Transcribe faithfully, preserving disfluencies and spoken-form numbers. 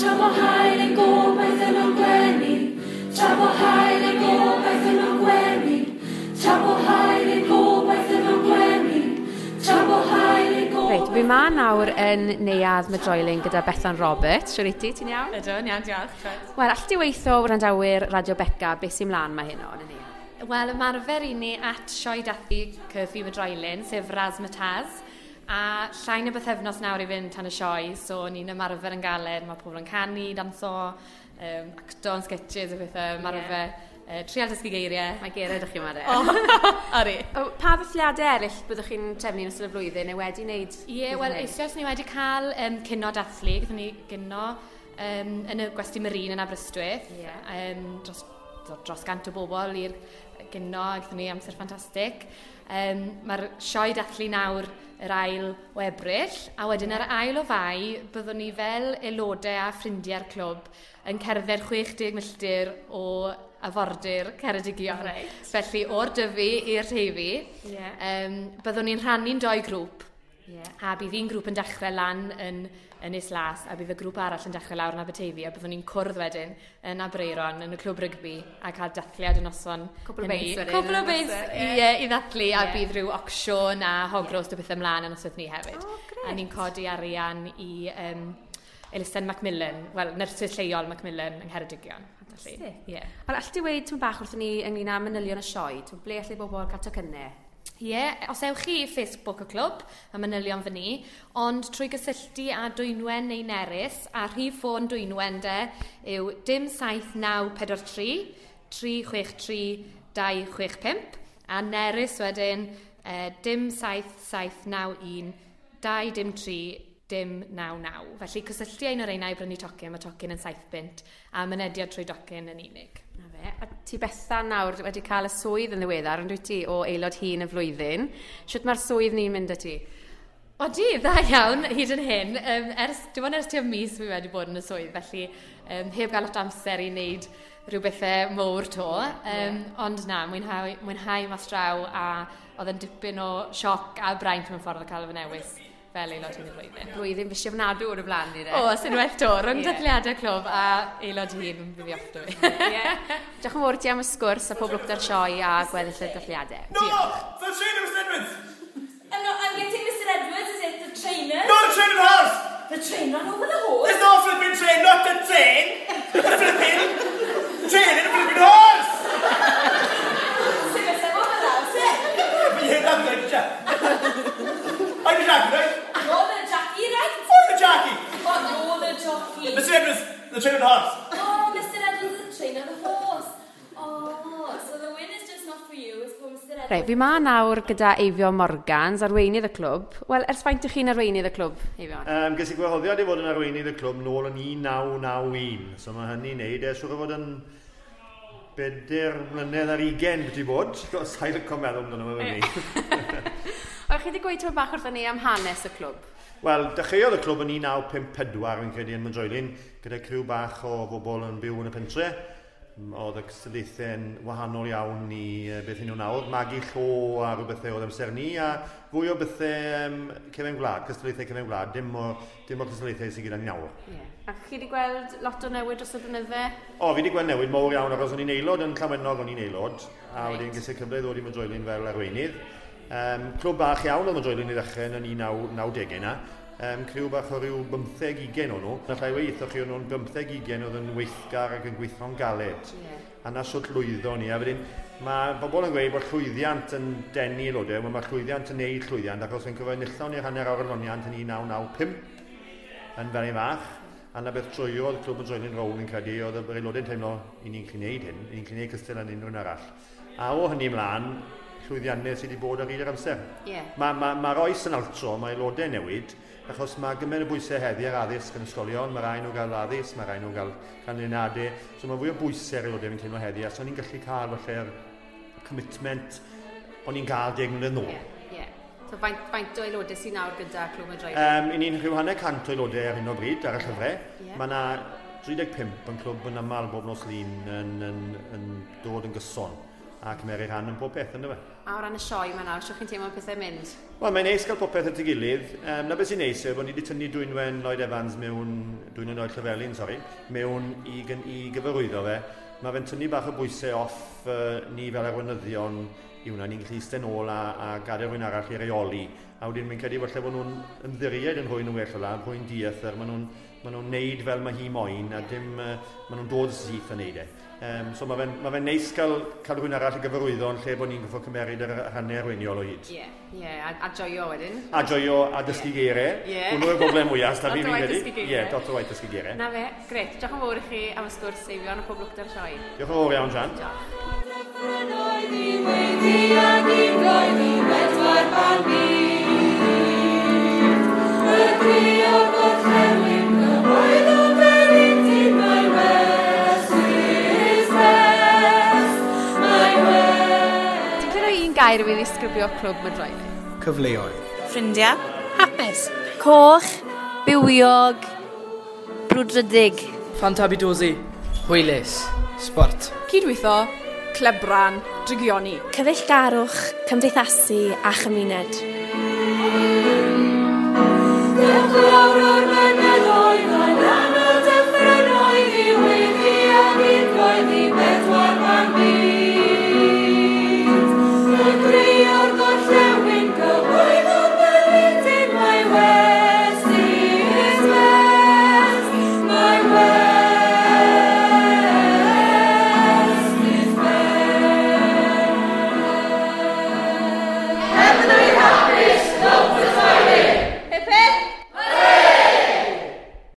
Tra bo haul ein gobaith yn o'n gwenu, tra bo haul ein gobaith yn o'n gwenu, tra bo haul ein gobaith yn o'n gwenu, tra bo haul ein gobaith. Reit, fi ma nawr yn Neuadd Mydroilyn gyda Bethan Roberts. Shwt wyt ti, ti'n iawn? Ydw, yn iawn, diolch. Wel, all ti weithio wrandawyr Radio Beca, beth sy'n mlaen mae heno yn y neuadd? Wel, ymarfer i ni at sioe dathlu Curfew Mydroilyn, sef Razzmatazz. A llai na bythefnos nawr i fynd tan y sioe, so ni'n ymarfer yn galed, mae pobl yn canu, danso, um, acto yn sketches a bethau, ymarfer, yeah. uh, trial dysgu geiriau. Mae geiriau ydych chi yma de. O, ori. O, pa ddathliadau eraill byddwch chi'n trefnu yn ystod y flwyddyn neu wedi wneud? Ie, yeah, wel, eisoes ni wedi cael um, cinio dathlu, gyda ni gino um, yn y Gwesty Marine yn Aberystwyth. Ie. Um, dros, dros gant o bobl i'r gino, a gyda ni amser ffantastig. Um, Mae'r sioe dathlu nawr yr ail o Ebrill, a wedyn yr ail o Fai, byddwn ni fel aelodau a ffrindiau'r clwb yn cerdded chwe deg milltir o afordir Ceredigion. Reit. Felly o'r Dyfi i'r Teifi, Ie. um, byddwn ni'n rhannu'n doi grŵp. Ie. A bydd un grŵp yn dechrau lan yn Ynys Las, a bydd y grŵp arall yn dechrau lawr yn Aberteifi, a byddwn ni'n cwrdd wedyn yn Aberaeron, yn y clwb rygbi, a cael dathliad y noson. Cwpl o hynny. beis wedyn, Cwpl o yn y beis, noson, ie, i ddathlu, a Ie. bydd rhyw ocsiwn a hog roast o bethau ymlaen yn noswaith ni hefyd. O, grêt. A ni'n codi arian i um, elusen Macmillan, wel, nyrsys lleol Macmillan yng Ngheredigion. Felly, Ffantastig. Ie. Wel, all ti weud tipyn bach wrthon ni ynglyn â manylion y sioe? Ti'n ble allai bobl cael tocynnau? Ie, yeah, os ewch chi i Facebook y clwb, mae manylion fyny, ond trwy gysylltu â Dwynwen neu Nerys, a rhif ffôn Dwynwen de yw dim saith naw pedwar tri, tri chwech tri dau chwech pump, a Nerys wedyn eh, dim saith saith naw un dau dim tri dim naw naw. Felly cysylltu â un o'r reina i brynu tocyn, mae tocyn yn saith bunt, a mynediad trwy docyn yn unig. Na fe. A ti Bethan nawr wedi cael y swydd yn ddiweddar, yn dwyt ti, o aelod hŷn y flwyddyn. Sut mae'r swydd ni'n mynd â ti? Odi, dda iawn, hyd yn hyn. Um, ers, dim ond ers tua mis fi wedi bod yn y swydd, felly um, heb gael lot o amser i wneud rhyw bethau mowr to. Um, yeah. Ond na, mwynhau, mwynhau mas draw, a oedd yn dipyn o sioc a braint mewn ffordd o cael fy newis fel aelod hŷn y flwyddyn. Blwyddyn fysi ofnadw o'r blaen ni, de. O, sy'n well to, rhwng Ie. dathliadau clwb a aelod hŷn yn bydd i off fi. Ie. Diolch yn fawr ti am y sgwrs a pob lwc da'r sioe a gweddill y dathliadau. No, the trainer, Mister Edwards. I'm not, I'm getting Mister Edwards, is it? The trainer? Not the trainer horse. The trainer over the horse? There's no flipping train, not the train. The flipping train and a flipping horse. Sut beth efo fel awr, sut? But you heard that, didn't you? I'm the jockey, right? You're the jockey, right? I'm the jockey. Oh, you're the jockey. Mister Edwards, the trainer and horse. Oh, Mister Edwards is the trainer of the horse. Oh, so the win is just not for you, it's for Mister Edwards. Reit, fi ma nawr gyda Eifion Morgans, arweinydd y clwb. Wel, ers faint ych chi'n arweinydd y clwb, Eifion? Um, ges i gwahoddiad i fod yn arweinydd y clwb nôl yn un naw naw un. So mae hynny'n neud e, siŵr o fod yn bedair mlynedd ar ugain beth i bod. Sa'n licio meddwl amdano fe fi. Wel, chi wedi gweud tipyn bach wrthon ni am hanes y clwb? Wel, dechreuodd y clwb yn un naw pump pedwar, fi'n credu, yn Mydroilyn, gyda criw bach o bobl yn byw yn y pentre. M- Oedd y cystadlaethau'n wahanol iawn i eh, beth y'n nhw nawr. Magu llo a rhyw bethau oedd amser ni, a fwy o bethau um, cefen gwlad, cystadlaethau cefen gwlad, dim o, dim o'r cystadlaethau sydd gyda ni nawr. Ie. A chi wedi gweld lot o newid dros y blynydde? O, fi wedi gweld newid mawr iawn, achos o'n i'n aelod yn Llanwenog, o'n i'n aelod, a Reit. wedyn ges i cyfle i ddod i Mydroilyn fel arweinydd. Um, clwb bach iawn oedd Mydroilyn i ddechrau yn y un naw nawdegau na. Um, criw bach o ryw bymtheg ugain o'n nhw. Alla i weud wrthoch chi o'n nhw'n bymtheg ugain oedd yn weithgar ac yn gweithio'n galed. Ie. A na sut lwyddo ni. A wedyn, mae bobl yn gweud bod llwyddiant yn denu aelodau. Wel, mae llwyddiant yn neud llwyddiant, achos fi'n cofio enillon ni'r hanner awr adloniant yn un naw naw pump yn Felin Fach. A na beth troiodd clwb Mydroilyn rownd fi'n credu, oedd yr aelodau'n teimlo i ni'n gallu neud hyn, i ni'n gallu neud cystal yn unrhyw un arall. A o hynny ymlaen, llwyddiannau sydd wedi bod ar hyd yr amser. Ie. Mae'r ma, ma oes yn altro, mae aelodau newid, achos mae gymaint o bwysau heddi ar addysg yn ysgolion, mae rai nhw gael addysg, mae rai nhw gael canlyniadau, so mae fwy o bwysau ar aelodau fi'n teimlo heddi, a so ni'n gallu cael falle'r commitment o'n i'n gael deg mlynedd nôl. Ie. Ie. So faint, faint o aelodau sy'n nawr gyda Clwb Mydroilyn? Um, I ni'n rhyw hanner cant o aelodau ar hyn o bryd ar y llyfrau. Ie. Mae yna tri deg pump yn clwb yn aml bob nos Lun yn, yn, yn dod yn gyson. a cymeru rhan yn pob peth, ynddo fe. A o ran y sioe yma nawr, siwch chi'n teimlo pethau'n mynd? Wel, mae'n neis cael popeth at ei gilydd. Um, na beth sy'n neis yw bod ni wedi tynnu Dwynwen Lloyd Evans mewn, Dwynwen Lloyd Llywelyn, sori, mewn i, i gyfarwyddo fe. Mae fe'n tynnu bach o bwysau off uh, ni fel arweinyddion i hwnna, ni'n gallu eistedd nôl a, a gadael rhywun arall i reoli. A wedyn mi'n credu falle bod nhw'n ymddiried yn rhywun yn well ola, rhywun diethr, maen nhw'n ma nhw'n neud fel mae hi moyn, a dim, uh, maen nhw'n dod syth a neud e. Um, so mae fe'n ma fe neis cael, cael rhywun arall i gyfarwyddo yn lle bod ni'n goffo cymeryd yr rhannau arweiniol o hyd. Ie, yeah, yeah, a, a joio wedyn. A joio a dysgu yeah. geiriau. Yeah. Hwnnw yw'r broblem mwyaf, da fi fi'n credu. Ie, dot o waith dysgu geiriau. Na fe, gret. Diolch yn fawr i chi am y sgwrs, Eifion, a pob lwc da'r sioe. Diolch yn fawr iawn, Sian. Diolch. Gair i fi ddisgrifio clwb Mydroeddau? Cyfleoedd. Ffrindiau. Hapus. Coch. Bywiog. Brwdfrydig. Fantabidosi. Hwylus. Sport. Cydweithio. Clebran. Drygioni. Cyfeillgarwch, cymdeithasu a chymuned.